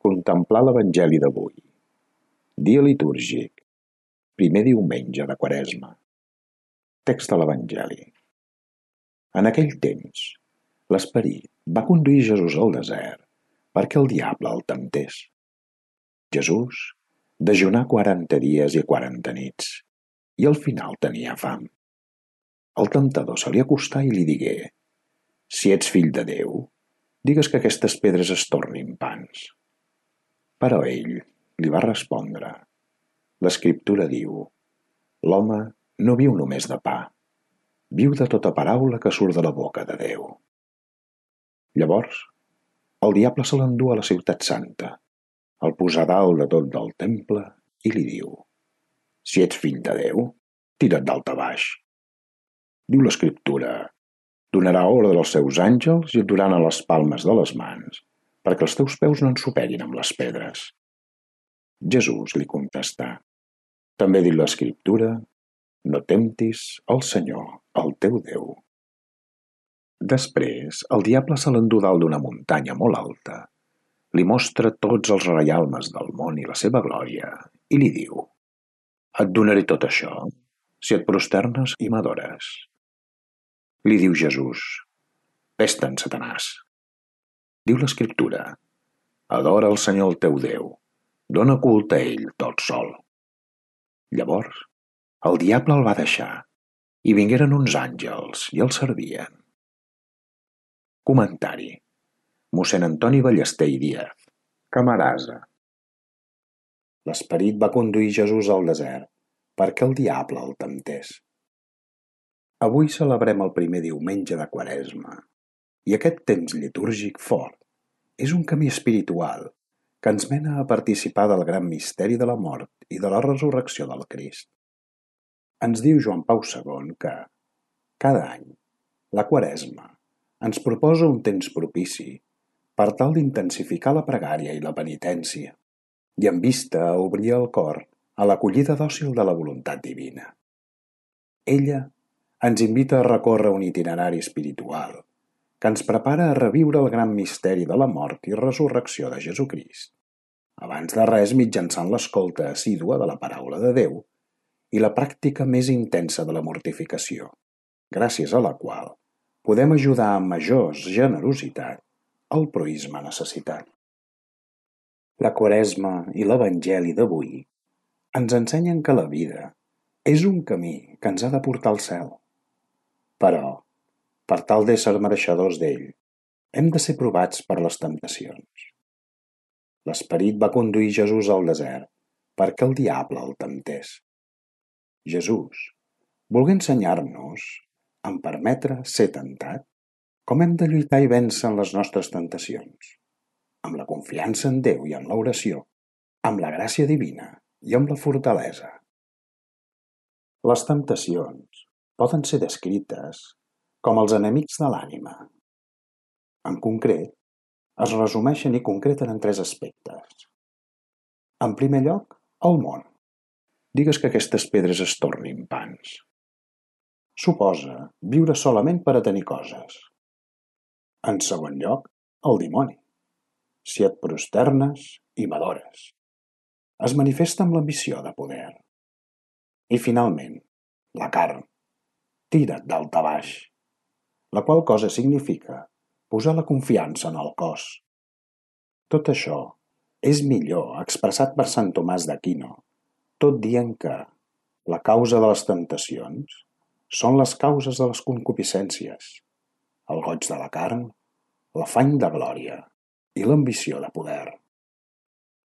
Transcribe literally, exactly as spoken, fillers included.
Contemplar l'Evangeli d'avui. Dia litúrgic. Primer diumenge de Quaresma. Text de l'Evangeli. En aquell temps, l'Esperit va conduir Jesús al desert perquè el diable el temptés. Jesús dejunà quaranta dies i quaranta nits i al final tenia fam. El temptador se li acostà i li digué: «Si ets fill de Déu, digues que aquestes pedres es tornin pans». Però ell li va respondre: «L'Escriptura diu: l'home no viu només de pa, viu de tota paraula que surt de la boca de Déu». Llavors, el diable se l'endú a la ciutat santa, el posa dalt de tot del temple i li diu: «Si ets fill de Déu, tira't dalt a baix. Diu l'Escriptura: donarà ordre als seus àngels i et duran a les palmes de les mans, perquè els teus peus no ensopeguin amb les pedres». Jesús li contestà: «També diu l'Escriptura: no temptis el Senyor, el teu Déu». Després, el diable se l'endú dalt d'una muntanya molt alta, li mostra tots els reialmes del món i la seva glòria, i li diu: «Et donaré tot això si et prosternes i m'adores». Li diu Jesús: «Ves-te'n, Satanàs. Diu l'Escriptura: adora el Senyor el teu Déu, dona culte a ell tot sol». Llavors, el diable el va deixar, i vingueren uns àngels i el servien. Comentari: mossèn Antoni Ballester i Díaz, Camarasa. L'Esperit va conduir Jesús al desert perquè el diable el temptés. Avui celebrem el primer diumenge de Quaresma, i aquest temps litúrgic fort és un camí espiritual que ens mena a participar del gran misteri de la mort i de la resurrecció del Crist. Ens diu Joan Pau segon que, cada any, la Quaresma ens proposa un temps propici per tal d'intensificar la pregària i la penitència, i en vista a obrir el cor a l'acollida dòcil de la voluntat divina. Ella ens invita a recórrer un itinerari espiritual que ens prepara a reviure el gran misteri de la mort i resurrecció de Jesucrist, abans de res mitjançant l'escolta assídua de la paraula de Déu i la pràctica més intensa de la mortificació, gràcies a la qual podem ajudar amb major generositat al proïsme necessitat. La Quaresma i l'Evangeli d'avui ens ensenyen que la vida és un camí que ens ha de portar al cel. Però, per tal d'ésser mereixedors d'ell, hem de ser provats per les temptacions. L'Esperit va conduir Jesús al desert perquè el diable el temptés. Jesús volgué ensenyar-nos, en permetre ser tentat, com hem de lluitar i vèncer en les nostres tentacions, amb la confiança en Déu i en l'oració, amb la gràcia divina i amb la fortalesa. Les temptacions poden ser descrites com els enemics de l'ànima. En concret, es resumeixen i concreten en tres aspectes. En primer lloc, el món. Digues que aquestes pedres es tornin pans. Suposa viure solament per a tenir coses. En segon lloc, el dimoni. Si et prosternes i m'adores. Es manifesta amb l'ambició de poder. I finalment, la carn. Tira't dalt a baix. La qual cosa significa posar la confiança en el cos. Tot això és millor expressat per Sant Tomàs d'Aquino, tot dient que la causa de les temptacions són les causes de les concupiscències, el goig de la carn, l'afany de glòria i l'ambició de poder.